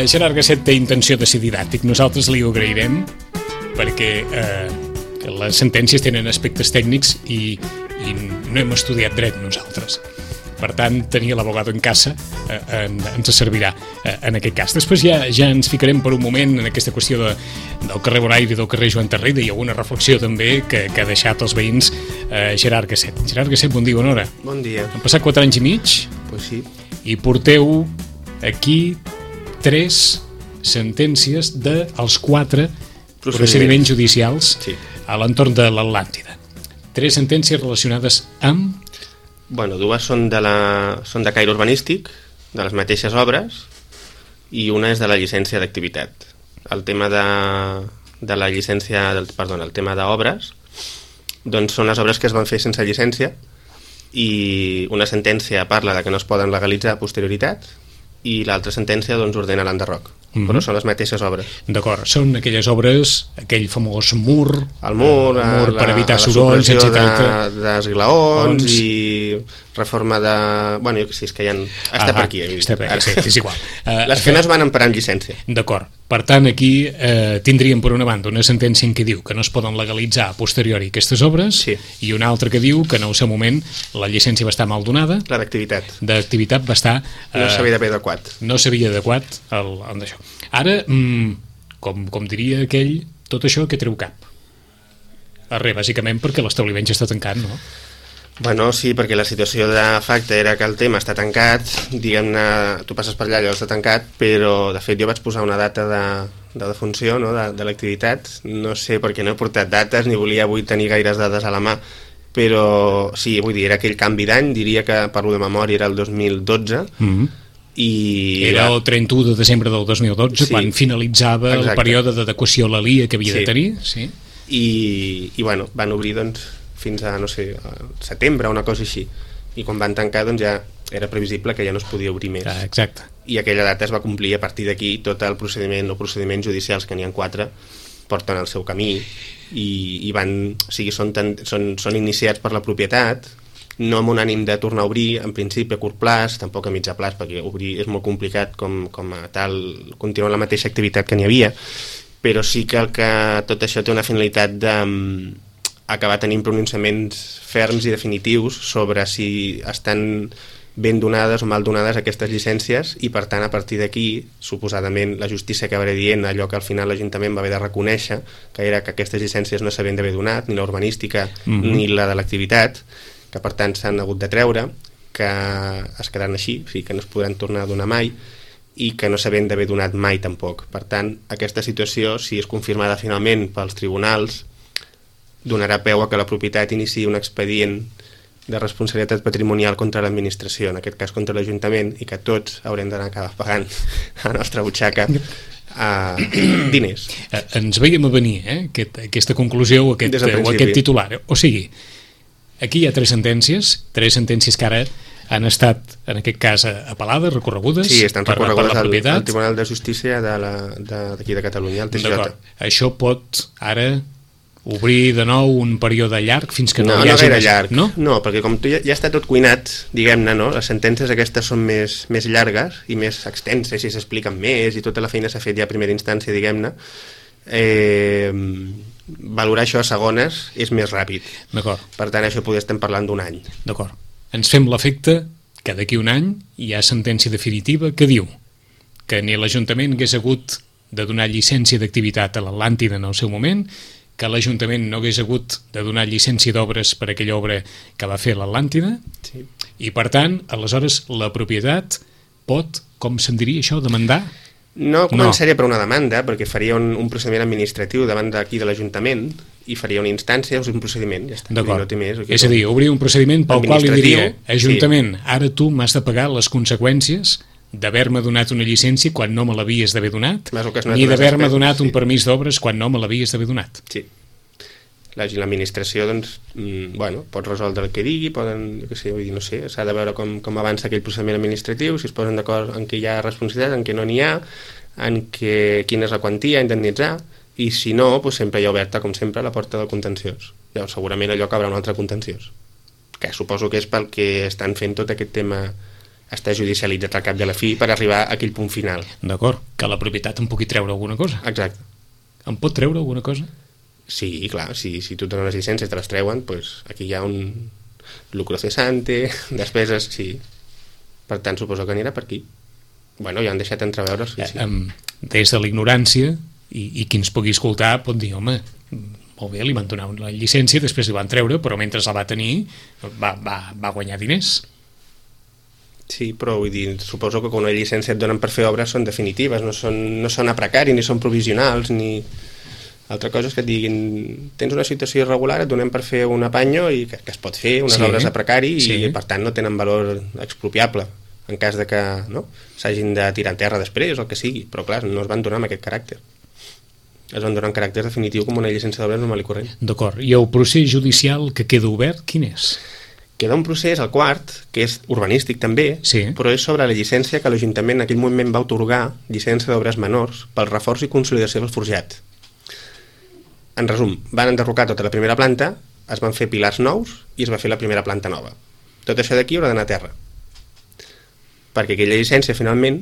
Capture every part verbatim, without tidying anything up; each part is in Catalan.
Uh, Gerard Gasset té intenció de ser didàctic. Nosaltres li ho agrairem perquè uh, les sentències tenen aspectes tècnics i, i no hem estudiat dret nosaltres. Per tant, tenir l'abogado en casa eh, en, ens servirà eh, en aquest cas. Després ja, ja ens ficarem per un moment en aquesta qüestió de, del carrer Bonaire i del carrer Joan Tarrida i alguna reflexió també que, que ha deixat els veïns eh, Gerard Gasset. Gerard Gasset, bon dia, bona hora. Bon dia. Han passat quatre anys i mig. Pues sí. I porteu aquí tres sentències dels quatre procediments, procediments judicials sí. a l'entorn de l'Atlàntida. Tres sentències relacionades amb... Bueno, dues són de, la, són de caire urbanístic, de les mateixes obres, i una és de la llicència d'activitat. El tema de, de la llicència, del, perdona, el tema d'obres, doncs són les obres que es van fer sense llicència, i una sentència parla de que no es poden legalitzar a posterioritat, i l'altra sentència doncs ordena l'enderroc. Mm-hmm. Però són les mateixes obres. D'acord, són aquelles obres, aquell famós mur, el mur, el mur la, per evitar la sorolls, etcètera. De, d'esglaons i reforma de... Bueno, jo que sí, és que ja... Està ah, per aquí. Està per aquí, sí, és igual. Uh, les que no es van emparar en llicència. D'acord. Per tant, aquí eh, tindríem per una banda una sentència en què diu que no es poden legalitzar a posteriori aquestes obres sí. i una altra que diu que en el seu moment la llicència va estar mal donada. La d'activitat. D'activitat va estar... Eh, no s'havia d'haver adequat. No s'havia adequat al, al d'això. Ara, mm, com, com diria aquell, tot això que treu cap. Arre, bàsicament perquè l'establiment ja està tancat, no? Bueno, sí, perquè la situació de facte era que el tema està tancat, diguem-ne, tu passes per allà i està tancat, però de fet jo vaig posar una data de, de defunció, no?, de, de l'activitat. No sé, perquè no he portat dates ni volia avui tenir gaires dades a la mà, però sí, vull dir, era aquell canvi d'any, diria que, parlo de memòria, era el dos mil dotze, mm-hmm. i... Era el trenta-u de desembre del dos mil dotze, sí. quan finalitzava Exacte. el període d'adequació a la L I A que havia sí. de tenir, sí. I, i bueno, van obrir, doncs, fins a, no sé, a setembre o una cosa així, i quan van tancar doncs ja era previsible que ja no es podia obrir més. Ah, exacte. I aquella data es va complir, a partir d'aquí tot el procediment o procediments judicials, que n'hi ha quatre, porten el seu camí i, i van, o sigui, són, tan, són, són iniciats per la propietat, no amb un ànim de tornar a obrir, en principi a curt plaç, tampoc a mitjà plaç, perquè obrir és molt complicat com, com a tal, continuar la mateixa activitat que n'hi havia, però sí que, el que tot això té una finalitat de acabar tenint pronunciaments ferms i definitius sobre si estan ben donades o mal donades aquestes llicències i per tant a partir d'aquí suposadament la justícia acabarà dient allò que al final l'Ajuntament va haver de reconèixer, que era que aquestes llicències no s'havien d'haver donat, ni la urbanística mm-hmm. ni la de l'activitat, que per tant s'han hagut de treure, que es quedaran així, o sigui que no es podran tornar a donar mai i que no s'havien d'haver donat mai tampoc. Per tant, aquesta situació, si és confirmada finalment pels tribunals, donarà peu a que la propietat iniciï un expedient de responsabilitat patrimonial contra l'administració, en aquest cas contra l'Ajuntament, i que tots haurem d'anar acabar pagant a la nostra butxaca uh, diners. Eh, ens veiem a venir, eh? Aquest, aquesta conclusió o aquest, o aquest titular. O sigui, aquí hi ha tres sentències, tres sentències que ara han estat, en aquest cas, apel·lades, recorregudes sí, estan per, recorregudes per la propietat. Al, al Tribunal de Justícia de la, de, d'aquí de Catalunya, el T S J. D'acord. Això pot ara obrir de nou un període llarg fins que no, no hi hagi... No, no llarg. No? No, perquè com tu ja, ja està tot cuinat, diguem-ne, no? Les sentències aquestes són més, més llargues i més extenses i s'expliquen més i tota la feina s'ha fet ja a primera instància, diguem-ne. Eh, valorar això a segones és més ràpid. D'acord. Per tant, això poder estem parlant d'un any. D'acord. Ens fem l'efecte que d'aquí un any hi ha sentència definitiva que diu que ni l'Ajuntament hagués hagut de donar llicència d'activitat a l'Atlàntida en el seu moment, que l'Ajuntament no hagués hagut de donar llicència d'obres per aquella obra que va fer l'Atlàntida, sí. I per tant, aleshores, la propietat pot, com se'n diria això, demandar? No començaria no. per una demanda, perquè faria un, un procediment administratiu davant d'aquí de l'Ajuntament i faria una instància, o sigui, un procediment, ja està. D'acord. No té més, és a dir, obrir un procediment pel qual li diria, Ajuntament, sí. Ara tu m'has de pagar les conseqüències d'haver-me donat una llicència quan no me l'havies d'haver donat, ni d'haver-me donat sí. un permís d'obres quan no me l'havies d'haver donat. Sí. L'administració, doncs, mm, bueno, pot resoldre el que digui, poden, jo què sé, vull dir, no sé, s'ha de veure com, com avança aquell procediment administratiu, si es posen d'acord en què hi ha responsabilitat, en què no n'hi ha, en què, quina és la quantia a indemnitzar, i si no, doncs sempre hi ha oberta, com sempre, la porta del contenciós. Llavors, segurament allò acabarà un altre contenciós, que suposo que és pel que estan fent tot aquest tema està judicialitzat al cap de la fi per arribar a aquell punt final. D'acord, que la propietat em pugui treure alguna cosa. Exacte. Em pot treure alguna cosa? Sí, clar, si, si tu et dones les llicències i te les treuen, doncs aquí hi ha un lucro cesante, despeses, sí. Per tant, suposo que anirà per aquí. Bueno, ja han deixat entreveure, sí, sí. Eh, des de la ignorància, i, i qui ens pugui escoltar pot dir, home, molt bé, li van donar la llicència, després li van treure, però mentre la va tenir va, va, va guanyar diners. Sí, però vull dir, suposo que quan una llicència et donen per fer obres són definitives, no són, no són a precari, ni són provisionals, ni... Altra cosa és que et diguin, tens una situació irregular, et donem per fer un apanyo i que, que es pot fer, unes sí, obres a precari, sí. I per tant no tenen valor expropiable, en cas de que no, s'hagin de tirar en terra després o el que sigui, però clar, no es van donar amb aquest caràcter. Es van donar en caràcter definitiu com una llicència d'obres normal i corrent. D'acord, i el procés judicial que queda obert, quin és? Queda un procés, el quart, que és urbanístic també, sí. Però és sobre la llicència que l'Ajuntament en aquell moment va atorgar, llicència d'obres menors, pel reforç i consolidació del forjat. En resum, van enderrocar tota la primera planta, es van fer pilars nous i es va fer la primera planta nova. Tot això d'aquí haurà d'anar a terra. Perquè aquella llicència, finalment,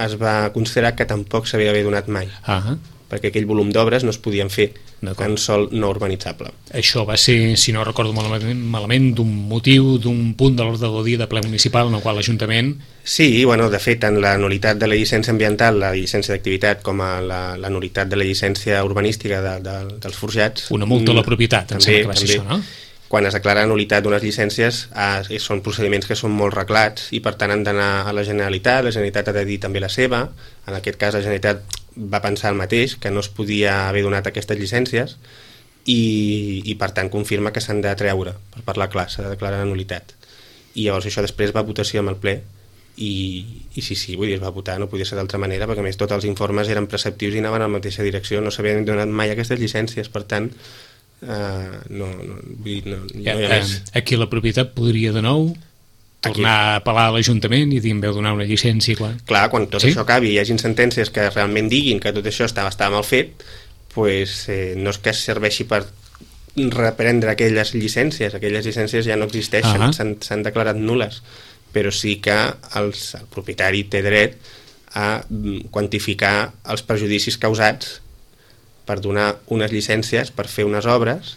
es va considerar que tampoc s'havia d'haver donat mai. Ah, perquè aquell volum d'obres no es podien fer en sòl no urbanitzable. Això va ser, si no recordo malament, malament d'un motiu, d'un punt de l'ordre del dia de ple municipal en el qual l'Ajuntament... Sí, bueno, de fet, en la nul·litat de la llicència ambiental, la llicència d'activitat, com a la, la nul·litat de la llicència urbanística de, de, dels forjats... Una multa a la propietat, em sembla que va ser això, no? Quan es declara nul·litat d'unes llicències, eh, són procediments que són molt reglats i per tant han d'anar a la Generalitat, la Generalitat ha de dir també la seva, en aquest cas la Generalitat va pensar el mateix, que no es podia haver donat aquestes llicències i, i per tant confirma que s'han de treure, per parlar clar, s'ha de declarar nul·litat. I llavors això després va a votació amb el ple i, i sí, sí, vull dir, es va votar, no podia ser d'altra manera, perquè a més tots els informes eren preceptius i anaven en la mateixa direcció, no s'havien donat mai aquestes llicències, per tant... Uh, no, no, vull dir, no, no hi ha més. Aquí la propietat podria de nou tornar aquí a apel·lar a l'Ajuntament i dir em veu donar una llicència. Clar, clar quan tot sí? Això acabi i hi hagin sentències que realment diguin que tot això estava, estava mal fet, pues, eh, no és que serveixi per reprendre aquelles llicències, aquelles llicències ja no existeixen, uh-huh. s'han declarat nul·les, però sí que els, el propietari té dret a quantificar els perjudicis causats per donar unes llicències, per fer unes obres,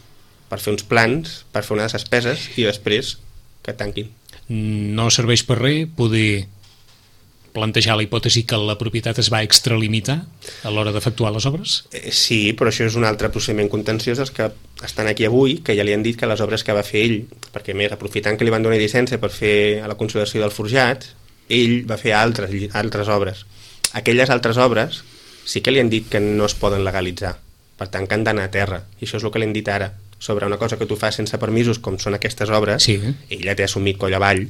per fer uns plans, per fer unes despeses i després que tanquin. No serveix per res poder plantejar la hipòtesi que la propietat es va extralimitar a l'hora d'efectuar les obres? Eh, sí, però això és un altre procediment contenciós dels que estan aquí avui, que ja li han dit que les obres que va fer ell, perquè més aprofitant que li van donar llicència per fer a la consolidació del forjat, ell va fer altres, altres obres. Aquelles altres obres sí que li han dit que no es poden legalitzar, per tant que han d'anar a terra, i això és el que li han dit ara, sobre una cosa que tu fas sense permisos, com són aquestes obres, sí. Ella té assumit coll avall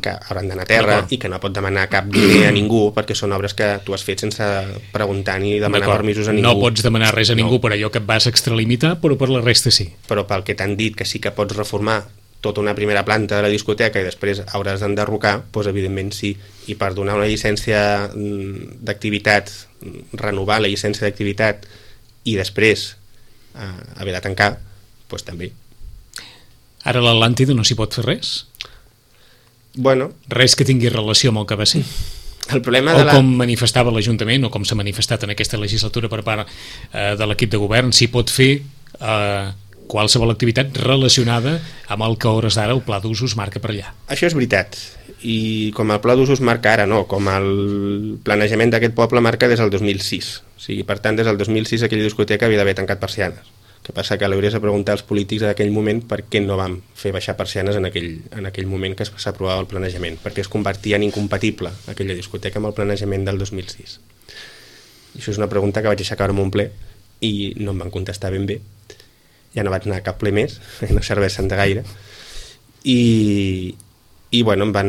que hauran d'anar a terra i que no pot demanar cap diner a ningú, perquè són obres que tu has fet sense preguntar ni demanar permisos a ningú. No pots demanar res a ningú no. Per allò que et vas extralimitar, però per la resta sí. Però pel que t'han dit que sí que pots reformar tota una primera planta de la discoteca i després hauràs d'enderrocar, doncs evidentment sí. I per donar una llicència d'activitat, renovar la llicència d'activitat i després eh, haver de tancar, doncs també. Ara a l'Atlàntida no s'hi pot fer res? Bueno. Res que tingui relació amb el que va ser? El problema o de la... com manifestava l'Ajuntament, o com s'ha manifestat en aquesta legislatura per part eh, de l'equip de govern, s'hi pot fer eh, qualsevol activitat relacionada amb el que a hores d'ara el pla d'usos marca per allà. Això és veritat, i com el pla d'usos marca ara, no, com el planejament d'aquest poble marca des del dos mil sis. O sigui, per tant, des del dos mil sis aquella discoteca havia d'haver tancat persianes. El que passa que l'hauries de preguntar als polítics d'aquell moment per què no vam fer baixar persianes en aquell, en aquell moment que s'aprovava el planejament, perquè es convertia en incompatible aquella discoteca amb el planejament del dos mil sis. I això és una pregunta que vaig aixecar en un ple i no em van contestar ben bé. Ja no vaig anar a cap ple més, no serveixen de gaire. I, i bueno, em van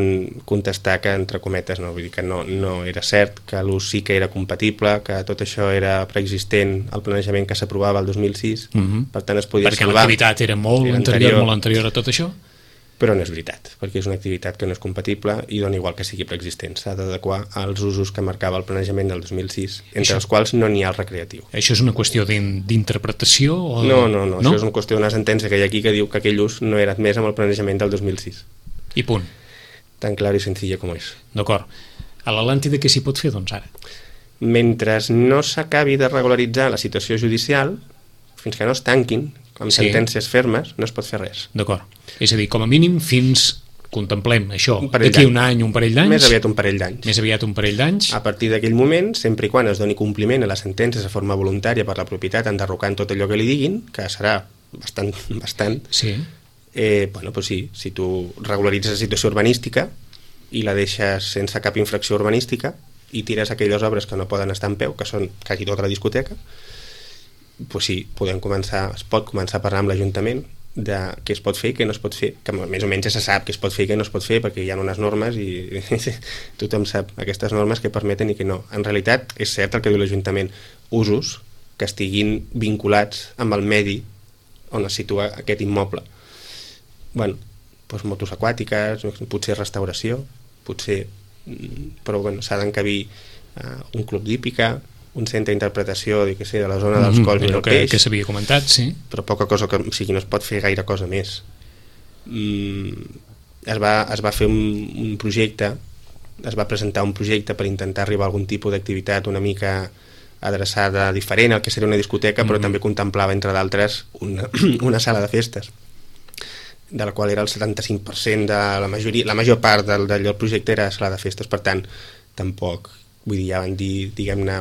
contestar que, entre cometes, no, vull dir que no, no era cert, que l'ús sí que era compatible, que tot això era preexistent al planejament que s'aprovava el dos mil sis, mm-hmm. per tant es podia perquè salvar. Perquè l'activitat era molt era anterior, anterior, molt anterior a tot això? Però no és veritat, perquè és una activitat que no és compatible i dona igual que sigui preexistent. S'ha d'adequar als usos que marcava el planejament del dos mil sis, entre això, els quals no n'hi ha el recreatiu. Això és una qüestió d'interpretació? O... No, no, no, no, això és una qüestió d'una sentència que hi ha aquí que diu que aquell ús no era admès amb el planejament del dos mil sis. I punt. Tan clar i senzill com és. D'acord. A l'Atlàntida què s'hi pot fer, doncs, ara? Mentre no s'acabi de regularitzar la situació judicial, fins que no es tanquin amb Sí. sentències fermes, no es pot fer res. D'acord. És a dir, com a mínim, fins, contemplem això, Un parell d'aquí d'anys. un any, un parell d'anys, Més aviat un parell d'anys. més aviat un parell d'anys, A partir d'aquell moment, sempre i quan es doni compliment a les sentències de forma voluntària per la propietat, enderrocant tot allò que li diguin, que serà bastant, bastant sí, eh, bueno, doncs sí, si tu regularitzes la situació urbanística i la deixes sense cap infracció urbanística i tires aquelles obres que no poden estar en peu, que són quasi tota la discoteca, doncs sí, podem començar, es pot començar a parlar amb l'Ajuntament de què es pot fer i què no es pot fer, que més o menys ja se sap què es pot fer i què no es pot fer perquè hi ha unes normes i tothom sap aquestes normes que permeten i que no. En realitat és cert el que diu l'Ajuntament, usos que estiguin vinculats amb el medi on es situa aquest immoble. Bueno, doncs motos aquàtiques, potser restauració, potser, però bueno, s'ha d'encabir uh, un club d'hípica, un centre d'interpretació, que sé, de la zona dels cols i del que, peix, que s'havia comentat, sí. però poca cosa, que, o sigui, no es pot fer gaire cosa més. Mm, es, va, es va fer un, un projecte, es va presentar un projecte per intentar arribar a algun tipus d'activitat una mica adreçada diferent al que seria una discoteca, però Mm. també contemplava, entre d'altres, una, una sala de festes, de la qual era el setanta-cinc per cent de la majoria, la major part del, del projecte era sala de festes, per tant, tampoc, vull dir, ja van dir, diguem-ne,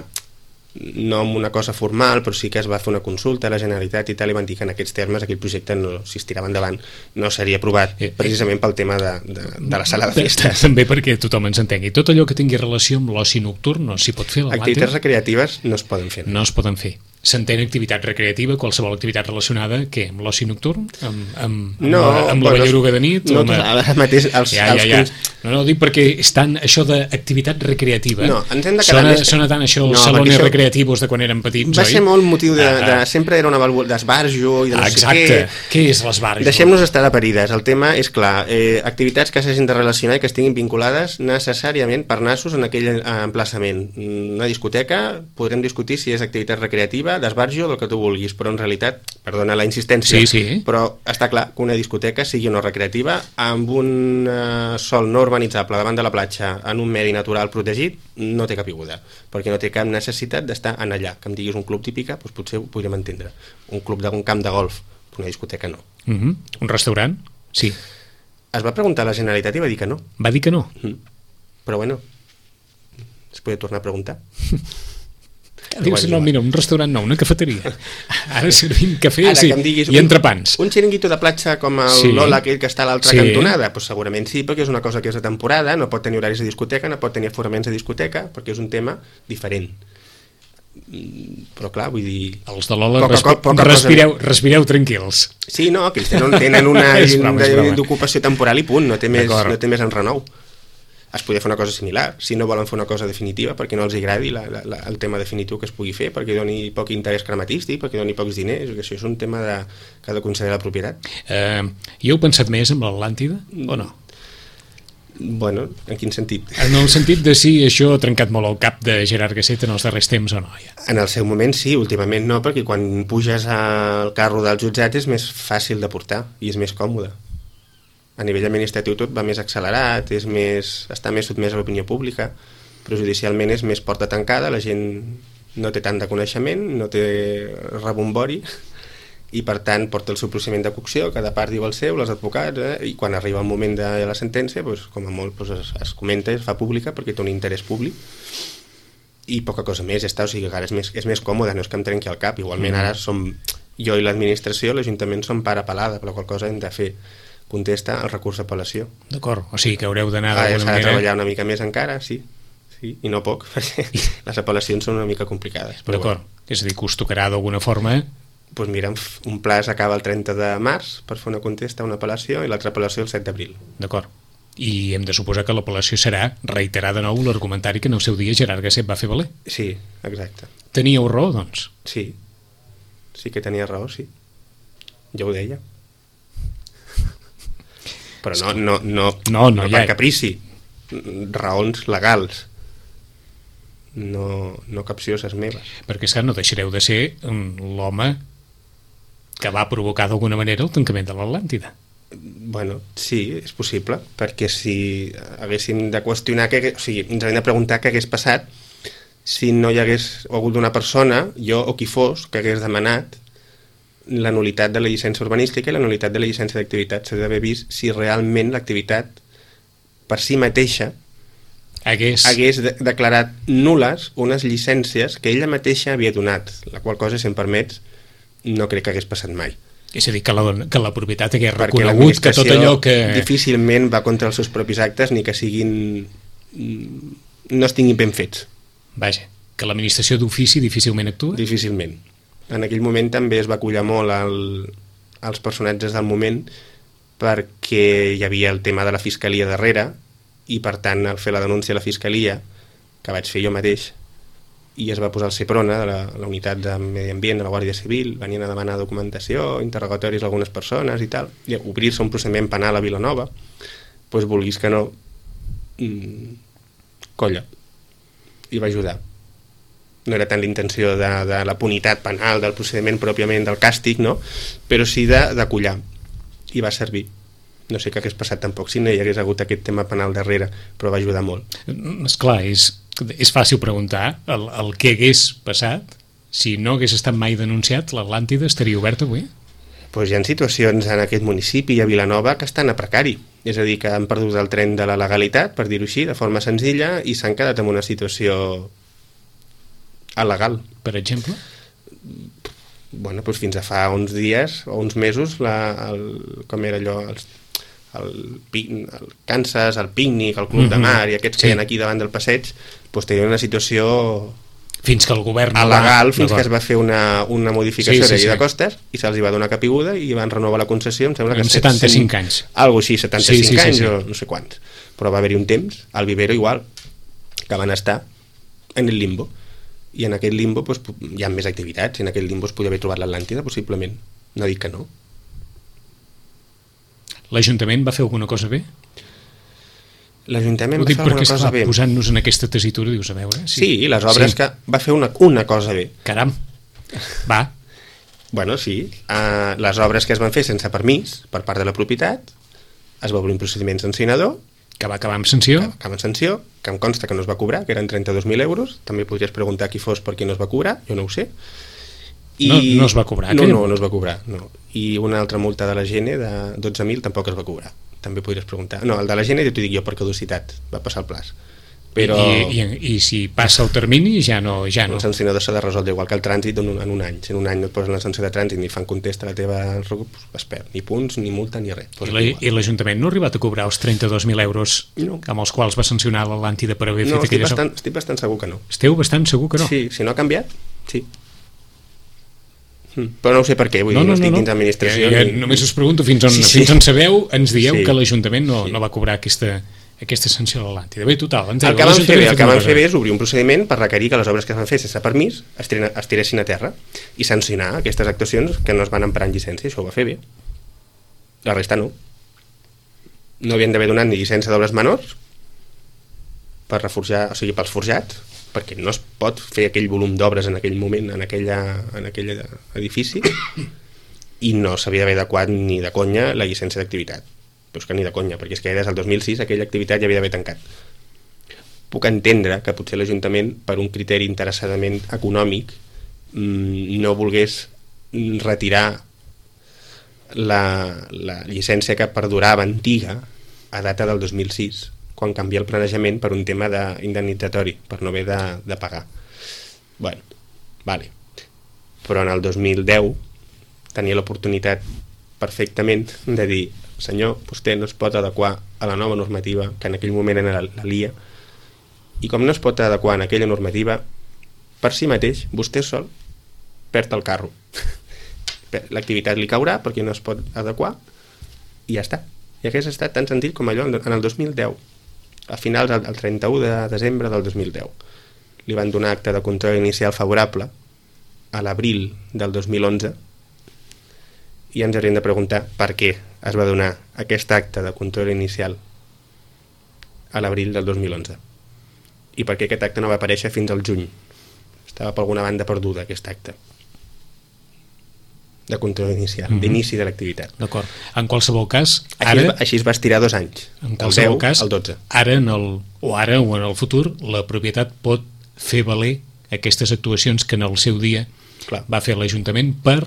no amb una cosa formal, però sí que es va fer una consulta a la Generalitat i tal, i van dir que en aquests termes aquell projecte, no, si es tirava endavant, no seria aprovat, Eh, eh. precisament pel tema de, de, de la sala de festes. També perquè tothom ens entengui. Tot allò que tingui relació amb l'oci nocturn no s'hi pot fer a l'Atlàntida. Activitats recreatives no es poden fer. No es poden fer. S'entén activitat recreativa, qualsevol activitat relacionada, què? Amb l'oci nocturn? Amb, amb, No, amb, amb bueno, la balleruga de nit? no, o amb... ara mateix els, ja, els ja, ja. cons- No, no, dic perquè estan això d'activitat recreativa. No, ens hem de quedar sona, més- sona tant això, els No, salones perquè això- recreativos de quan érem petits, va oi? ser molt motiu de, de Ah, sempre era una valua d'esbarjo i de no exacte. sé què. Què és l'esbarjo? Deixem-nos estar de parides. El tema és clar, eh, activitats que s'hagin de relacionar i que estiguin vinculades necessàriament per nassos en aquell eh, emplaçament. Una discoteca, podrem discutir si és activitat recreativa, d'esbarjo, del que tu vulguis, però en realitat, perdona la insistència, Sí, sí. però està clar que una discoteca sigui o no recreativa, amb un eh, sòl no urbanitzable davant de la platja, en un medi natural protegit, no té capiguda, perquè no té cap necessitat d'estar en allà. Que em diguis un club típica, doncs potser ho podríem entendre. Un club d'un camp de golf, una discoteca no. Uh -huh. Un restaurant? Sí. Es va preguntar a la Generalitat i va dir que no. Va dir que no. Mm. Però bueno, es podia tornar a preguntar. Dius, Igual, no, igual. mira, un restaurant no, una cafeteria. Ara servim cafè Ara sí, que em diguis i un- entrepans. Un xiringuito de platja com el Sí. Lola, aquell que està a l'altra Sí. cantonada, doncs segurament sí, perquè és una cosa que és de temporada, no pot tenir horaris de discoteca, no pot tenir aforaments de discoteca, perquè és un tema diferent. Mm, Però clar, vull dir... Els de l'Ola, Poca respi co- poca cosa respireu, respireu tranquils. Sí, no, que ells tenen, tenen una És broma, és broma. d'ocupació temporal i punt, no té més, D'acord. no té més enrenou. Es podria fer una cosa similar, si no volen fer una cosa definitiva, perquè no els agradi la, la, la, el tema definitiu que es pugui fer, perquè doni poc interès crematístic, perquè doni pocs diners, que això és un tema de, que ha de concedir la propietat. Eh, hi heu pensat més amb l'Atlàntida o no? Bueno, en quin sentit? En el sentit de si això ha trencat molt el cap de Gerard Gasset en els darrers temps o no, ja. En el seu moment sí, últimament no, perquè quan puges al carro del jutjat és més fàcil de portar i és més còmode. A nivell administratiu tot va més accelerat, és més, està més sotmès a l'opinió pública, però judicialment és més porta tancada, la gent no té tant de coneixement, no té rebombori, i per tant porta el seu procediment de cocció, cada part diu el seu, els advocats, eh? I quan arriba el moment de la sentència, doncs, com a molt doncs, es, es comenta i es fa pública perquè té un interès públic, i poca cosa més, ja està, o sigui, ara és més, és més còmode, no és que em trenqui el cap, igualment ara som, jo i l'administració, l'Ajuntament som part apel·lada, per la qual cosa hem de fer contesta el recurs d'apel·lació. D'acord, o sigui que haureu d'anar Ah, d'alguna s'ha de manera... treballar una mica més encara, sí, sí, i no poc, perquè les apel·lacions són una mica complicades. Però D'acord, és a dir, que us tocarà d'alguna forma... Doncs mira, un pla s'acaba el trenta de març per fer una contesta a una apel·lació i l'altra apel·lació el set d'abril. D'acord. I hem de suposar que l'apel·lació serà reiterar de nou l'argumentari que en el seu dia Gerard Gasset va fer valer. Sí, exacte. Teníeu raó, doncs? Sí, sí que tenia raó, sí. Jo ho deia. Però no, no, no, No, no, no ja- per caprici. Raons legals. No, no capcioses meves. Perquè, és que no deixareu de ser mm, l'home que va provocar d'alguna manera el tancament de l'Atlàntida. Bueno, sí, és possible, perquè si haguéssim de qüestionar, que, o sigui, ens haguem de preguntar què hagués passat si no hi hagués hagut una persona, jo o qui fos, que hagués demanat la nulitat de la llicència urbanística i la nulitat de la llicència d'activitat. S'ha d'haver vist si realment l'activitat per si mateixa hagués, hagués de declarat nules unes llicències que ella mateixa havia donat, la qual cosa, si em permets, no crec que hagués passat mai. És a dir, que la, que la propietat hagués Perquè reconegut que tot allò que... difícilment va contra els seus propis actes ni que siguin... no estiguin ben fets. Vaja, que l'administració d'ofici difícilment actua? Difícilment. En aquell moment també es va acollar molt el, els personatges del moment perquè hi havia el tema de la fiscalia darrere i per tant al fer la denúncia a la fiscalia, que vaig fer jo mateix, i es va posar el Seprona, de la, la unitat de Medi Ambient de la Guàrdia Civil, venien a demanar documentació, interrogatoris a algunes persones i tal, i obrir-se un procediment penal a Vilanova, doncs vulguis que no, mmm, colla, i va ajudar. No era tant l'intenció de, de la punitat penal, del procediment pròpiament, del càstig, no? Però sí d'acollar, i va servir. No sé què hagués passat tampoc si no hi hagués hagut aquest tema penal darrere, però va ajudar molt. Esclar, és, és fàcil preguntar el, el que hagués passat si no hagués estat mai denunciat. L'Atlàntida estaria oberta avui? Pues hi ha situacions en aquest municipi i a Vilanova que estan a precari, és a dir, que han perdut el tren de la legalitat, per dir-ho així, de forma senzilla, i s'han quedat en una situació il·legal. Per exemple? Bueno, doncs fins a fa uns dies o uns mesos, la, el, com era allò, els, el, el Kansas, el pícnic, el Club mm-hmm. de Mar i aquests sí. que hi ha aquí davant del passeig, doncs tenien una situació fins que el govern il·legal, va, fins no que es va fer una, una modificació sí, sí, de llei sí. de costes i se'ls va donar capiguda i van renovar la concessió, em sembla que setanta-cinc anys. Algo així, setanta-cinc sí, sí, anys sí, sí. o no sé quants. Però va haver-hi un temps, al Vivero igual, que van estar en el limbo. I en aquest limbo doncs, hi ha més activitats, i en aquest limbo es podia haver trobat l'Atlàntida, possiblement. No dic que no. L'Ajuntament va fer alguna cosa bé? L'Ajuntament va fer alguna cosa bé. Posant-nos en aquesta tessitura, dius, a veure... Sí, sí les obres sí. que va fer una, una cosa bé. Caram, va. Bueno, sí. Uh, les obres que es van fer sense permís per part de la propietat, es va obrir un procediment sancionador, que va acabar amb sanció. Que va acabar amb sanció, que em consta que no es va cobrar, que eren trenta-dos mil euros. També podries preguntar qui fos per qui no es va cobrar, jo no ho sé. I... No, no es va cobrar? No, no, no es va cobrar. No. I una altra multa de la Gene de dotze mil tampoc es va cobrar. També podries preguntar. No, el de la Gene ja t'ho dic jo per caducitat, va passar el plaç. Però... I, i, I si passa el termini ja no... Ja no. El sancionador s'ha de resoldre igual que el trànsit en un, en un any. Si en un any no et posen la sanció de trànsit ni fan contesta a la teva... es perd. Ni punts, ni multa, ni res. I l'Ajuntament no ha arribat a cobrar els trenta-dos mil euros no. amb els quals va sancionar l'Atlàntida per haver no, fet aquelles... No, bastant, estic bastant segur que no. Esteu bastant segur que no? Sí, si no ha canviat, sí. Però no ho sé per què, vull no, dir, no, no estic no, dins d'administració. Ja, ja, ni... Només us pregunto fins on, sí, sí. fins on sabeu, ens dieu sí. que l'Ajuntament no, sí. no va cobrar aquesta, aquesta sanció a l'Atlàntida. Bé, total, el que van fer bé, el que van fer bé és obrir un procediment per requerir que les obres que es van fer sense permís es, tiren, es tiressin a terra i sancionar aquestes actuacions que no es van emprar en llicència. Això ho va fer bé. La resta no. No havien d'haver donat ni llicència d'obres menors per reforjar, o sigui, pels forjats, perquè no es pot fer aquell volum d'obres en aquell moment, en, aquella, en aquell edifici, i no s'havia d'haver adequat ni de conya la llicència d'activitat. Però és que ni de conya, perquè és que des del dos mil sis aquella activitat ja havia d'haver tancat. Puc entendre que potser l'Ajuntament, per un criteri interessadament econòmic, no volgués retirar la, la llicència que perdurava antiga a data del dos mil sis, quan canvia el planejament per un tema indemnitzatori, per no haver de, de pagar. Bueno, vale. Però en el dos mil deu tenia l'oportunitat perfectament de dir, senyor, vostè no es pot adequar a la nova normativa, que en aquell moment era la, la L I A, i com no es pot adequar en aquella normativa, per si mateix, vostè sol perd el carro. L'activitat li caurà perquè no es pot adequar i ja està. I hagués estat tan senzill com allò en el dos mil deu. A finals, el trenta-u de desembre del dos mil deu, li van donar acte de control inicial favorable a l'abril del dos mil onze i ens hauríem de preguntar per què es va donar aquest acte de control inicial a l'abril del dos mil onze i per què aquest acte no va aparèixer fins al juny. Estava per alguna banda perduda aquest acte. de control inicial, mm-hmm. d'inici de l'activitat. D'acord. En qualsevol cas, així, ara... Es, així es va estirar dos anys, en el deu cas, al dotze. Ara, en el, o ara o en el futur, la propietat pot fer valer aquestes actuacions que en el seu dia Clar. va fer l'Ajuntament per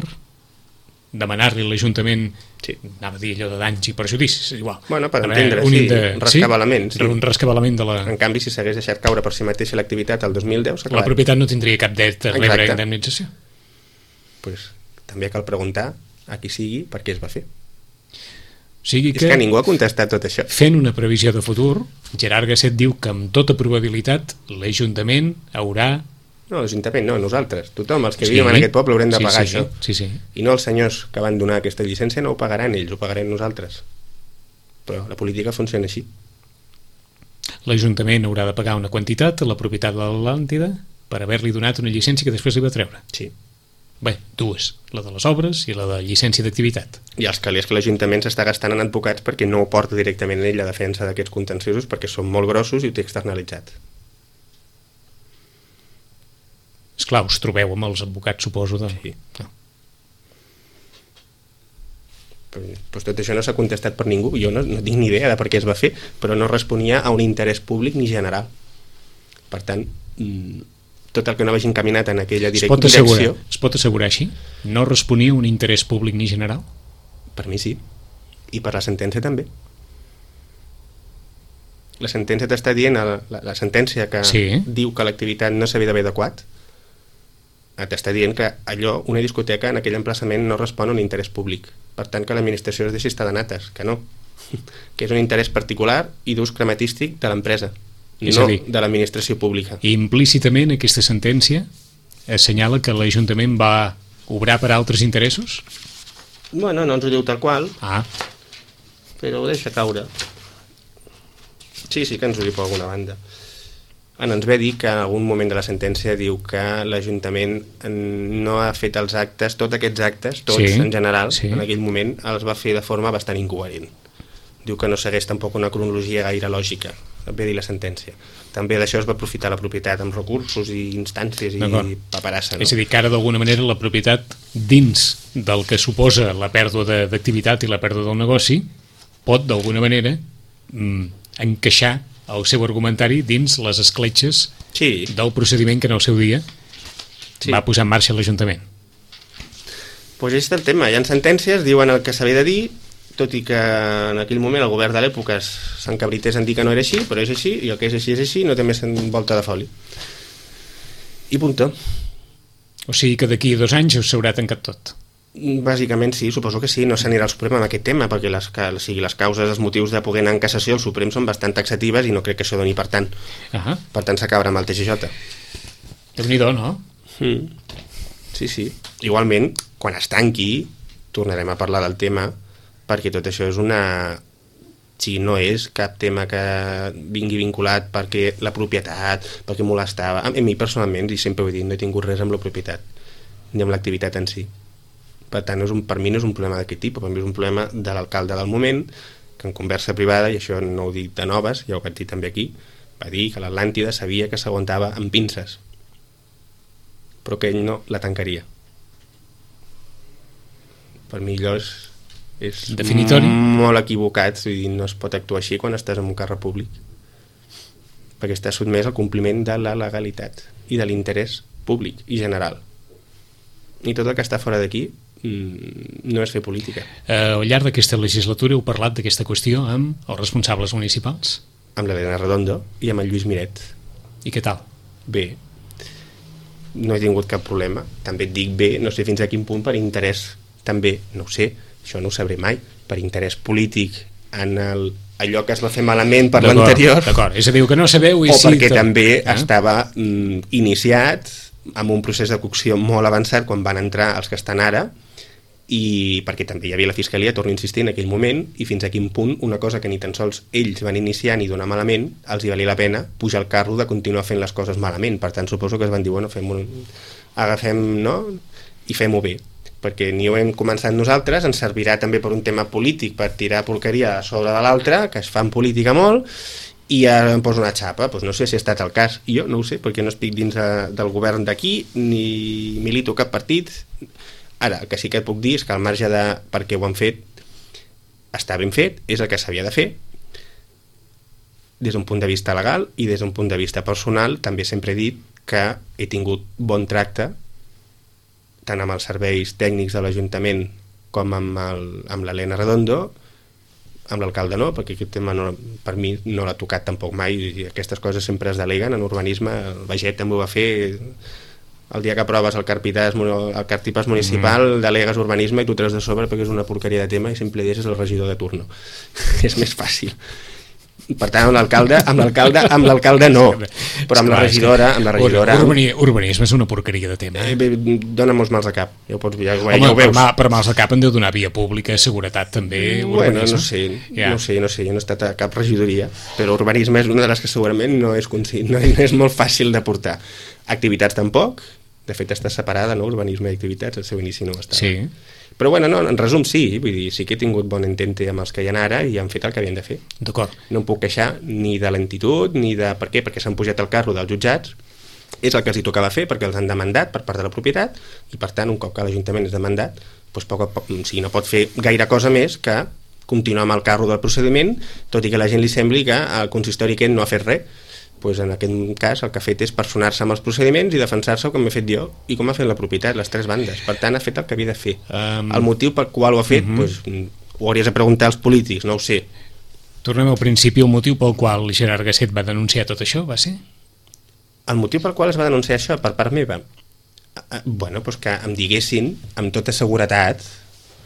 demanar-li a l'Ajuntament, sí. anava a dir allò de danys i perjudicis, igual. Bueno, per veure, entendre, un sí, de... un rescabalament. Sí? Sí. Un rescabalament de la... En canvi, si s'hagués deixat caure per si mateixa l'activitat el dos mil deu, s'ha la propietat no tindria cap dret a rebre indemnització. Pues, també cal preguntar a qui sigui per què es va fer. O sigui que, és que ningú ha contestat tot això. Fent una previsió de futur, Gerard Gasset diu que amb tota probabilitat l'Ajuntament haurà... No, l'Ajuntament no, nosaltres. Tothom, els que sí. vivim en aquest poble haurem de sí, pagar sí, això. Sí, sí. I no els senyors que van donar aquesta llicència no ho pagaran ells, ho pagarem nosaltres. Però la política funciona així. L'Ajuntament haurà de pagar una quantitat a la propietat de l'Atlàntida per haver-li donat una llicència que després li va treure. Sí. Bé, dues, la de les obres i la de llicència d'activitat. I els calés que l'Ajuntament s'està gastant en advocats perquè no ho porta directament ell la defensa d'aquests contenciosos perquè són molt grossos i ho té externalitzat. Esclar, us trobeu amb els advocats, suposo, de... Sí. No. Pues tot això no s'ha contestat per ningú. Jo no, no tinc ni idea de per què es va fer, però no responia a un interès públic ni general. Per tant, tot el que no vagi encaminat en aquella direc- es pot assegurar, direcció... Es pot assegurar així? No responia a un interès públic ni general? Per mi sí. I per la sentència també. La sentència t'està dient, la, la, la sentència que sí. diu que l'activitat no s'havia d'haver adequat, t'està dient que allò, una discoteca en aquell emplaçament no respon a un interès públic. Per tant, que l'administració es deixi estar de nates, que no. Que és un interès particular i d'ús crematístic de l'empresa, no dir, de l'administració pública. Implícitament aquesta sentència assenyala que l'Ajuntament va obrar per altres interessos? Bueno, no ens ho diu tal qual, ah. però ho deixa caure. Sí, sí que ens ho diu per alguna banda. En ens ve dir que en algun moment de la sentència diu que l'Ajuntament no ha fet els actes, tots aquests actes, tots sí, en general, sí. en aquell moment els va fer de forma bastant incoherent. Diu que no segueix tampoc una cronologia gaire lògica, ve dir la sentència. També d'això es va aprofitar la propietat amb recursos i instàncies i paperassa. No? És a dir, que ara d'alguna manera la propietat dins del que suposa la pèrdua d'activitat i la pèrdua del negoci pot d'alguna manera mm, encaixar el seu argumentari dins les escletxes sí. del procediment que en el seu dia sí. va posar en marxa l'Ajuntament. Pues és el tema, hi ha sentències, diuen el que s'havia de dir, tot i que en aquell moment el govern de l'època s'encabrités en dir que no era així, però és així, i el que és així és així, no té més volta de foli. I punto. O sigui que d'aquí a dos anys s'haurà tancat tot. Bàsicament sí, suposo que sí, no s'anirà al Suprem amb aquest tema, perquè les, que, o sigui, les causes, els motius de poder anar en cassació al Suprem són bastant taxatives i no crec que això doni per tant. Uh-huh. Per tant s'acabarà amb el T G J. Déu-n'hi-do, no? Mm. Sí, sí. Igualment, quan es tanqui, tornarem a parlar del tema, perquè tot això és una... O sigui, no és cap tema que vingui vinculat perquè la propietat, perquè molestava. A mi personalment, i sempre ho he dit, no he tingut res amb la propietat, ni amb l'activitat en si. Per tant, és un, per mi no és un problema d'aquest tipus, per mi és un problema de l'alcalde del moment, que en conversa privada, i això no ho dic de noves, ja ho vaig dir també aquí, va dir que l'Atlàntida sabia que s'aguantava amb pinces, però que ell no la tancaria. Per mi allò és, és definitori? Molt equivocat, vull dir, no es pot actuar així quan estàs en un càrrec públic, perquè estàs sotmès al compliment de la legalitat i de l'interès públic i general. I tot el que està fora d'aquí no és fer política. Uh, al llarg d'aquesta legislatura heu parlat d'aquesta qüestió amb els responsables municipals? Amb l'Helena Redondo i amb el Lluís Miret. I què tal? Bé. No he tingut cap problema. També et dic bé, no sé fins a quin punt per interès, també, no ho sé, això no ho sabré mai, per interès polític en el, allò que es va fer malament per l'anterior. D'acord, és a dir, que no sabeu... I o sí, perquè tot... també eh? estava mm, iniciat amb un procés de cocció molt avançat quan van entrar els que estan ara, i perquè també hi havia la Fiscalia, torno a insistir, en aquell moment, i fins a quin punt una cosa que ni tan sols ells van iniciar ni donar malament, els hi valia la pena pujar el carro de continuar fent les coses malament. Per tant, suposo que es van dir, bueno, fem un... agafem, no?, i fem-ho bé, perquè ni ho hem començat nosaltres, ens servirà també per un tema polític, per tirar porqueria a sobre de l'altre, que es fa en política molt, i ara em poso una xapa. Pues no sé si ha estat el cas, jo no ho sé, perquè no estic dins de, del govern d'aquí, ni milito cap partit. Ara, el que sí que et puc dir és que al marge de per què ho han fet, està ben fet, és el que s'havia de fer. Des d'un punt de vista legal i des d'un punt de vista personal, també sempre he dit que he tingut bon tracte tant amb els serveis tècnics de l'Ajuntament com amb, el, amb l'Helena Redondo, amb l'alcalde no, perquè aquest tema no, per mi no l'ha tocat tampoc mai, i aquestes coses sempre es deleguen en urbanisme. El Baget també ho va fer, el dia que aproves el carpitàs, el cartipàs municipal, mm. delegues urbanisme i tu treus de sobre perquè és una porqueria de tema i sempre deixes el regidor de turno. És més fàcil. Per tant, amb l'alcalde, amb l'alcalde, amb l'alcalde no, però amb la regidora, amb la regidora... Urbanisme és una porqueria de tema. Eh, dona molts mals de cap, ja ho, pots, ja, Home, ja ho veus. Per, per mals de cap en deu donar via pública, seguretat també, bueno, urbanisme. no sé, ja. no sé, no sé, jo no he estat a cap regidoria, però urbanisme és una de les que segurament no és, no és molt fàcil de portar. Activitats tampoc, de fet està separada, no?, urbanisme i activitats, el seu inici no està. Sí. Però bueno, no, en resum sí, vull dir, sí que he tingut bon entente amb els que hi ha ara i han fet el que havien de fer. D'acord. No em puc queixar ni de lentitud, ni de... Per què? Perquè s'han pujat al carro dels jutjats, és el que els hi tocava fer perquè els han demandat per part de la propietat i per tant un cop que l'Ajuntament és demandat, doncs poc a poc, o sigui, no pot fer gaire cosa més que continuar amb el carro del procediment, tot i que a la gent li sembli que el consistori aquest no ha fet res. Pues en aquest cas el que ha fet és personar-se amb els procediments i defensar-se com he fet jo i com ha fet la propietat, les tres bandes. Per tant, ha fet el que havia de fer. Um... El motiu pel qual ho ha fet, uh-huh. pues, ho hauries de preguntar als polítics, no ho sé. Tornem al principi, el motiu pel qual Gerard Gasset va denunciar tot això, va ser? El motiu pel qual es va denunciar això per part meva? Bueno, pues que em diguessin amb tota seguretat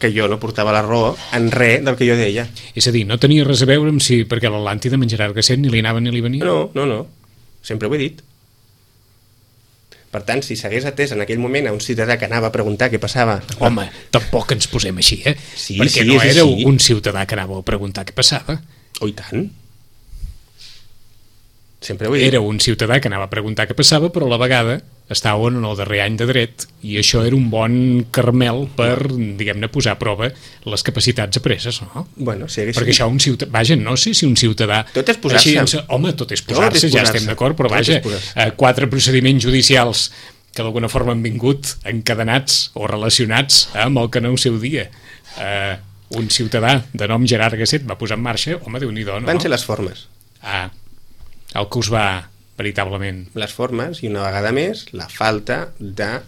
que jo no portava la raó en res del que jo deia. És a dir, no tenia res a veure amb si perquè l'Atlàntida amb en Gerard Gasset ni li anava ni li venia? No, no, no. Sempre ho he dit. Per tant, si s'hagués atès en aquell moment a un ciutadà que anava a preguntar què passava... Home, tampoc ens posem així, eh? Sí, perquè sí, no era així. Un ciutadà que anava a preguntar què passava. Oh, i tant. Sempre ho he dit. Era un ciutadà que anava a preguntar què passava, però a la vegada estaven en el darrer any de dret i això era un bon carmel per, diguem-ne, posar a prova les capacitats apreses, no? Bueno, si haguéssim... Perquè això un ciutadà... Vaja, no sé si un ciutadà... Tot és posar-se. Així, home, tot és posar-se, ja estem d'acord, però vaja, eh, quatre procediments judicials que d'alguna forma han vingut encadenats o relacionats amb el que no ho seu dia. Eh, un ciutadà de nom Gerard Gasset va posar en marxa, home, Déu-n'hi-do, no? Van ser les formes. Ah, el que us va... veritablement. Les formes i una vegada més la falta de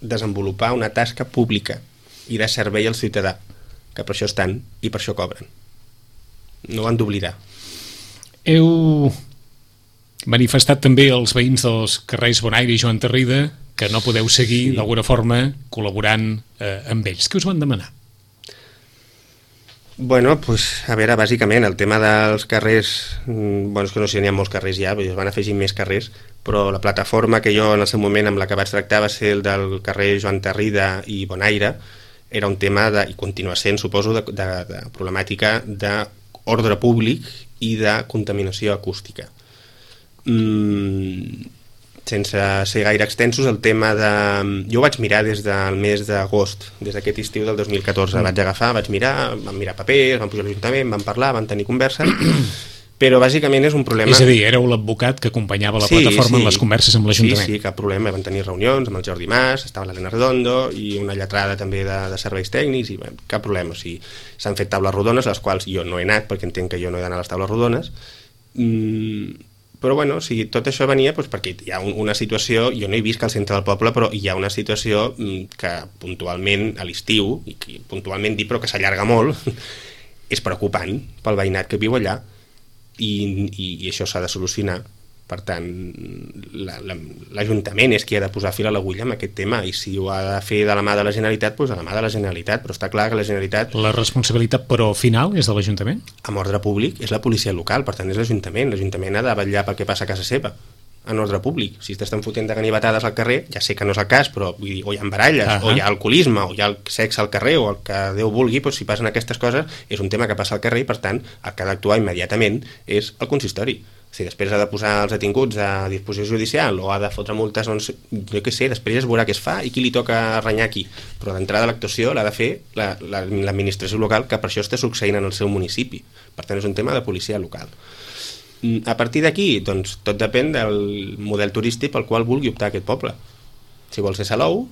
desenvolupar una tasca pública i de servei al ciutadà, que per això estan i per això cobren. No ho han d'oblidar. Heu manifestat també als veïns dels carrers Bonaire i Joan Tarrida que no podeu seguir sí. d'alguna forma col·laborant eh, amb ells. Què us van demanar? Bueno, pues, a veure, bàsicament, el tema dels carrers, bueno, és que no sé, n'hi ha molts carrers ja, es van afegir més carrers, però la plataforma que jo en el seu moment amb la que vaig tractar va ser el del carrer Joan Tarrida i Bonaire, era un tema, de, i continua sent, suposo, de, de, de problemàtica d'ordre públic i de contaminació acústica. Mm, sense ser gaire extensos, el tema de... Jo ho vaig mirar des del mes d'agost, des d'aquest estiu del dos mil catorze. Mm. Vaig agafar, vaig mirar, vam mirar papers, vam pujar a l'Ajuntament, vam parlar, vam tenir converses, però bàsicament és un problema... És a dir, éreu l'advocat que acompanyava la sí, plataforma sí. en les converses amb l'Ajuntament. Sí, sí, cap problema. Vam tenir reunions amb el Jordi Mas, estava l'Helena Redondo i una lletrada també de, de serveis tècnics i bé, cap problema. O sigui, s'han fet taules rodones, les quals jo no he anat perquè entenc que jo no he d'anar a les taules rodones. Mm, però bueno, o sigui, tot això venia doncs, perquè hi ha un, una situació, jo no he vist que al centre del poble, però hi ha una situació mm, que puntualment a l'estiu, i que puntualment dic però que s'allarga molt, és preocupant pel veïnat que viu allà. I, i, i això s'ha de solucionar. Per tant, l'Ajuntament és qui ha de posar fil a l'agulla amb aquest tema, i si ho ha de fer de la mà de la Generalitat, doncs de la mà de la Generalitat, però està clar que la Generalitat... La responsabilitat, però, final és de l'Ajuntament? Amb ordre públic és la policia local, per tant és l'Ajuntament. L'Ajuntament ha de vetllar pel que passa a casa seva, en ordre públic. Si t'estan fotent de ganivetades al carrer, ja sé que no és el cas, però vull dir, o hi ha baralles, uh -huh. o hi ha alcoholisme, o hi ha el sexe al carrer, o el que Déu vulgui, doncs, si passen aquestes coses, és un tema que passa al carrer i, per tant, el que ha d'actuar immediatament és el consistori. Si després ha de posar els detinguts a disposició judicial o ha de fotre multes, doncs, jo què sé, després ja es veurà què es fa i qui li toca renyar aquí. Però d'entrada l'actuació l'ha de fer l'administració local, que per això està succeint en el seu municipi. Per tant, és un tema de policia local. A partir d'aquí, doncs, tot depèn del model turístic pel qual vulgui optar aquest poble. Si vol ser Salou,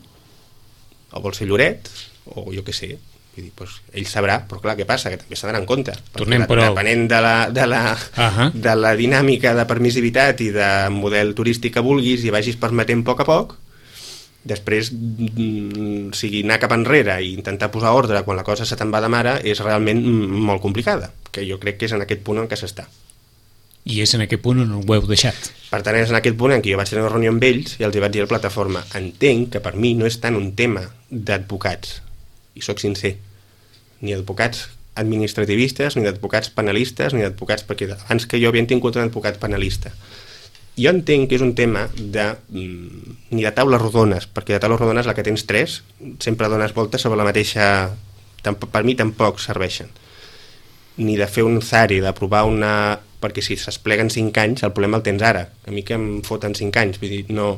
o vol ser Lloret, o jo què sé. Vull dir, doncs, ell sabrà, però clar, què passa? Que també s'ha d'anar en compte. Tornem, però... Depenent de la, de, la, uh-huh. de la dinàmica de permissivitat i de model turístic que vulguis i vagis permetent a poc a poc, després, o sigui, anar cap enrere i intentar posar ordre quan la cosa se te'n va de mare és realment molt complicada, que jo crec que és en aquest punt en què s'està. I és en aquest punt on ho heu deixat. Per tant, és en aquest punt en què jo vaig tenir una reunió amb ells i els hi vaig dir a la plataforma, entenc que per mi no és tant un tema d'advocats, i sóc sincer, ni advocats administrativistes, ni d'advocats penalistes, ni d'advocats, perquè abans que jo havien tingut un advocat penalista. Jo entenc que és un tema de, ni de taules rodones, perquè de taules rodones la que tens tres, sempre dones voltes sobre la mateixa, per mi tampoc serveixen. Ni de fer un zari, d'aprovar una... perquè si s'espleguen cinc anys, el problema el tens ara. A mi que em foten cinc anys, vull dir, no...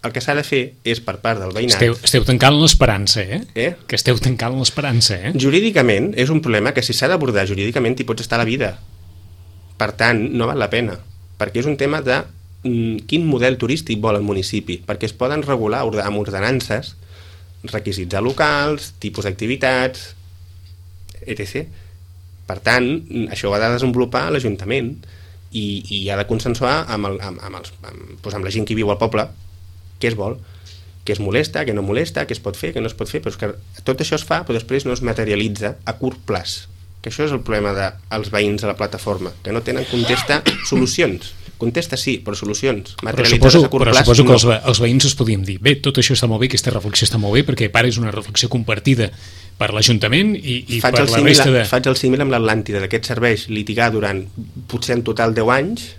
El que s'ha de fer és per part del veïnat... Esteu, esteu tancant l'esperança, eh? eh? Que esteu tancant l'esperança, eh? Jurídicament és un problema que si s'ha d'abordar jurídicament hi pots estar a la vida. Per tant, no val la pena, perquè és un tema de mm, quin model turístic vol el municipi, perquè es poden regular amb ordenances, requisits locals, tipus d'activitats, etcètera. Per tant, això ho ha de desenvolupar l'Ajuntament i, i ha de consensuar amb, el, amb, amb, els, amb, doncs amb la gent que viu al poble què es vol, què es molesta, què no molesta, què es pot fer, què no es pot fer, però és que tot això es fa, però després no es materialitza a curt plaç, que això és el problema dels veïns de la plataforma, que no tenen contesta solucions. Contesta sí, però solucions materialitzades a curt plaç. Però suposo que els, ve, els veïns us podíem dir, bé, tot això està molt bé, aquesta reflexió està molt bé, perquè a part és una reflexió compartida per l'Ajuntament i, i per la resta de... Faig el símil amb l'Atlàntida, de què et serveix litigar durant potser en total deu anys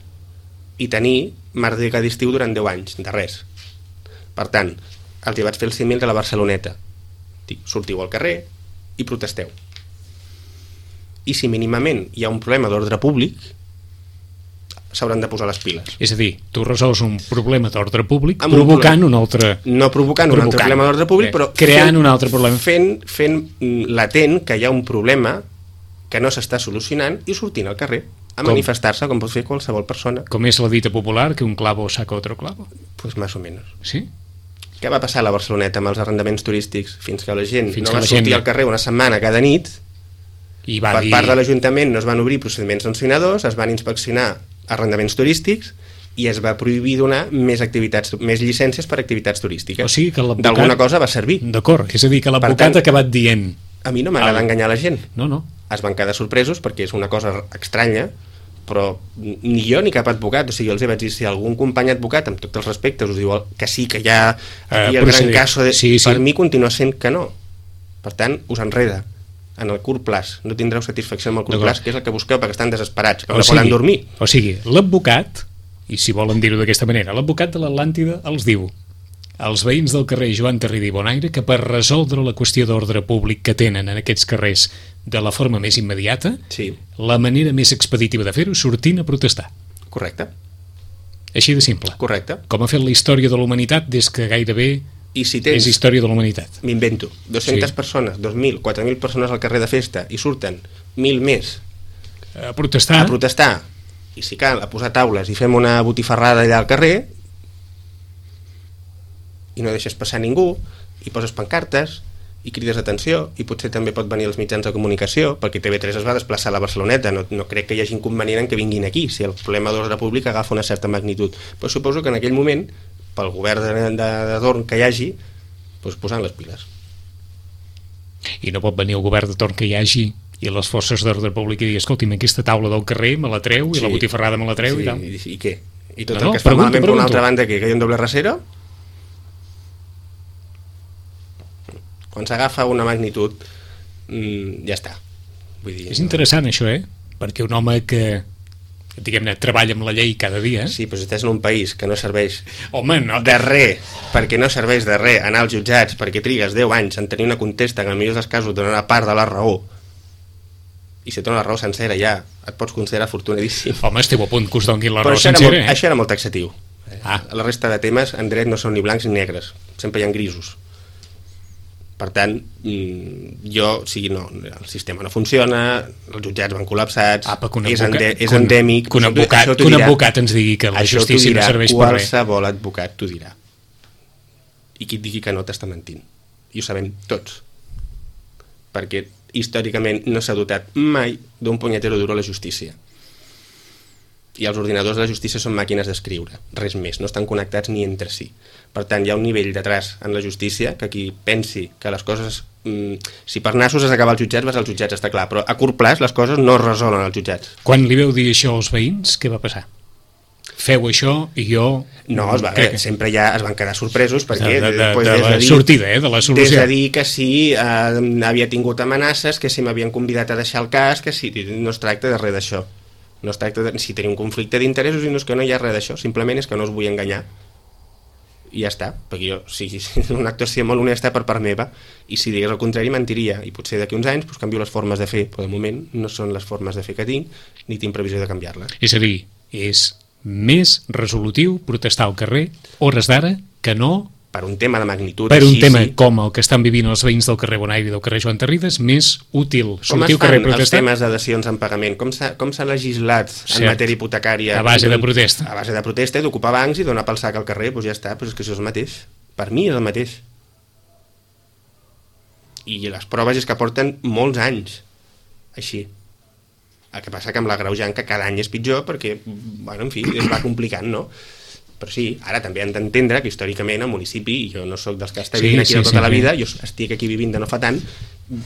i tenir merda d'estiu durant deu anys, de res. Per tant, els hi vaig fer el símil de la Barceloneta. Dic, sortiu al carrer i protesteu. I si mínimament hi ha un problema d'ordre públic, s'hauran de posar les piles. És a dir, tu resols un problema d'ordre públic amb provocant un, un altre... No provocant, provocant un altre problema d'ordre públic, però creant fent, un altre problema. Fent, fent latent que hi ha un problema que no s'està solucionant i sortint al carrer a com? manifestar-se com pot fer qualsevol persona. Com és la dita popular, que un clavo saca otro clavo? Pues más o menos. Sí? Què va passar a la Barceloneta amb els arrendaments turístics? Fins que la gent Fins no va sortir gent... al carrer una setmana cada nit, i va per dir... part de l'Ajuntament no es van obrir procediments sancionadors, es van inspeccionar arrendaments turístics i es va prohibir donar més activitats, més llicències per activitats turístiques. O sigui que l'advocat... D'alguna cosa va servir. D'acord, és a dir, que l'advocat ha acabat dient... A mi no m'agrada el... enganyar la gent. No, no. Es van quedar sorpresos perquè és una cosa estranya, però ni jo ni cap advocat, o sigui, jo els vaig dir, si algun company advocat, amb tots els respectes, us diu que sí, que hi ha aquí uh, el gran cas de... Sí, sí. Per mi continua sent que no. Per tant, us enreda en el curt plaç, no tindreu satisfacció en el curt plaç, que és el que busqueu perquè estan desesperats, que no poden dormir. O sigui, l'advocat, i si volen dir-ho d'aquesta manera, l'advocat de l'Atlàntida els diu als veïns del carrer Joan Tarrida i Bonaire que per resoldre la qüestió d'ordre públic que tenen en aquests carrers de la forma més immediata, sí. La manera més expeditiva de fer-ho sortint a protestar. Correcte. Així de simple. Correcte. Com ha fet la història de la humanitat des que gairebé I si tens, és història de la humanitat. M'invento, dues-centes sí. persones, dos mil, quatre mil persones al carrer de festa i surten mil més a protestar, a protestar i si cal, a posar taules i fem una botifarrada allà al carrer i no deixes passar ningú i poses pancartes i crides d'atenció i potser també pot venir els mitjans de comunicació perquè T V tres es va desplaçar a la Barceloneta, no, no crec que hi hagi inconvenient en que vinguin aquí si el problema d'ordre públic agafa una certa magnitud, però suposo que en aquell moment pel govern de, de, de torn que hi hagi, doncs posant les piles. I no pot venir el govern de torn que hi hagi i les forces d'ordre públic i dir, escolti'm, aquesta taula del carrer me la treu i sí. La botifarrada me la treu sí, i tal. I, i què? I tot no, el que no, es fa pregunto, malament pregunto. per una altra banda, que, que hi ha un doble rasero? Quan s'agafa una magnitud, mmm, ja està. Vull dir, és interessant això, eh? Perquè un home que diguem-ne, treballa amb la llei cada dia. Sí, però si estàs en un país que no serveix Home, no. de res, perquè no serveix de res anar als jutjats, perquè trigues deu anys en tenir una contesta que en el millor dels casos donarà part de la raó, i si et dona la raó sencera ja et pots considerar afortunadíssim. Home, esteu a punt que us donguin la però raó això sencera, molt, eh? Això era molt taxatiu. Ah. La resta de temes en dret no són ni blancs ni negres, sempre hi ha grisos. Per tant, jo, o sigui, no, el sistema no funciona, els jutjats van col·lapsats, Apa, que un és, advocat, ende, és endèmic... Que un advocat, que un advocat ens digui que la justícia no serveix per res. Qualsevol advocat t'ho dirà. i qui et digui que no t'està mentint. I ho sabem tots. Perquè històricament no s'ha dotat mai d'un punyetero duro a la justícia. I els ordinadors de la justícia són màquines d'escriure, res més, no estan connectats ni entre si. Per tant, hi ha un nivell de traç en la justícia que qui pensi que les coses... Mmm, si per nassos has d'acabar als jutjats, vas als jutjats, està clar, però a curt plaç les coses no es resolen als jutjats. Quan li veu dir això als veïns, què va passar? Feu això i jo... No, es va, eh, sempre ja es van quedar sorpresos perquè... De, de, de, pues, de la dir, sortida, eh, de la solució. Des de dir que sí, eh, havia tingut amenaces, que si m'havien convidat a deixar el cas, que sí, no es tracta de res d'això. No es tracta de si tenir un conflicte d'interessos i no és que no hi ha res d'això, simplement és que no us vull enganyar i ja està, perquè jo si, si una actuació molt honesta per part meva i si digués el contrari mentiria i potser d'aquí uns anys pues, canvio les formes de fer, però de moment no són les formes de fer que tinc ni tinc previsió de canviar-les. És a dir, és més resolutiu protestar al carrer hores d'ara que no per un tema de magnitud per un així, tema sí. com el que estan vivint els veïns del carrer Bonaire i del carrer Joan Tarrides, més útil sortir al carrer a protestar? Com es fan els temes de dacions en pagament? Com s'ha, com s'ha legislat Cert. en matèria hipotecària? A base de protesta. A base de protesta, d'ocupar bancs i donar pel sac al carrer, doncs ja està, doncs és que això és el mateix. Per mi és el mateix. I les proves és que porten molts anys així. El que passa que amb l'agreujant que cada any és pitjor perquè, bueno, en fi, es va complicant, no? Però sí, ara també hem d'entendre que històricament el municipi, i jo no sóc dels que està vivint sí, aquí sí, tota sí, la vida, jo estic aquí vivint de no fa tant,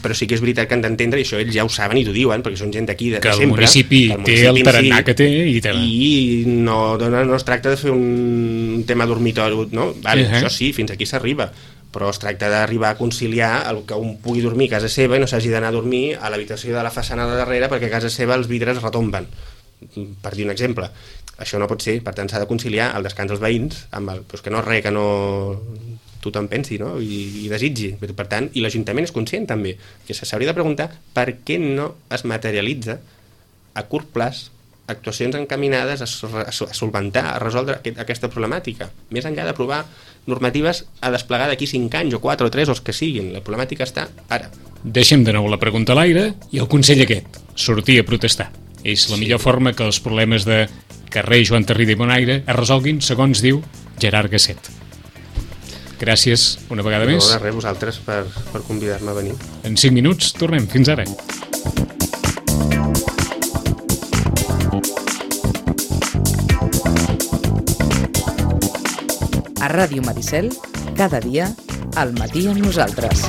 però sí que és veritat que han d'entendre, i això ells ja ho saben i t'ho diuen, perquè són gent d'aquí de, de sempre. Que el municipi té el tarannà que té i té... I no, no, no es tracta de fer un tema dormitori, no? Vale, uh-huh. Això sí, fins aquí s'arriba, però es tracta d'arribar a conciliar el que un pugui dormir a casa seva i no s'hagi d'anar a dormir a l'habitació de la façana de darrere perquè a casa seva els vidres retomben, per dir un exemple. Això no pot ser, per tant s'ha de conciliar el descans dels veïns amb el, doncs que no és res que no tothom pensi, no? I, i desitgi, per tant, i l'Ajuntament és conscient també, que s'hauria de preguntar per què no es materialitza a curt plaç actuacions encaminades a, a, a solventar, a resoldre aquest, aquesta problemàtica, més enllà d'aprovar normatives a desplegar d'aquí cinc anys o quatre o tres o els que siguin, la problemàtica està ara. Deixem de nou la pregunta a l'aire i el consell aquest, sortir a protestar. És la sí. millor forma que els problemes de carrer Joan Tarrida i Bonaire es resolguin, segons diu Gerard Gasset. Gràcies una vegada no, més. No, de res, vosaltres per, per convidar-me a venir. En cinc minuts tornem. Fins ara. A Ràdio Maricel, cada dia, al matí amb nosaltres.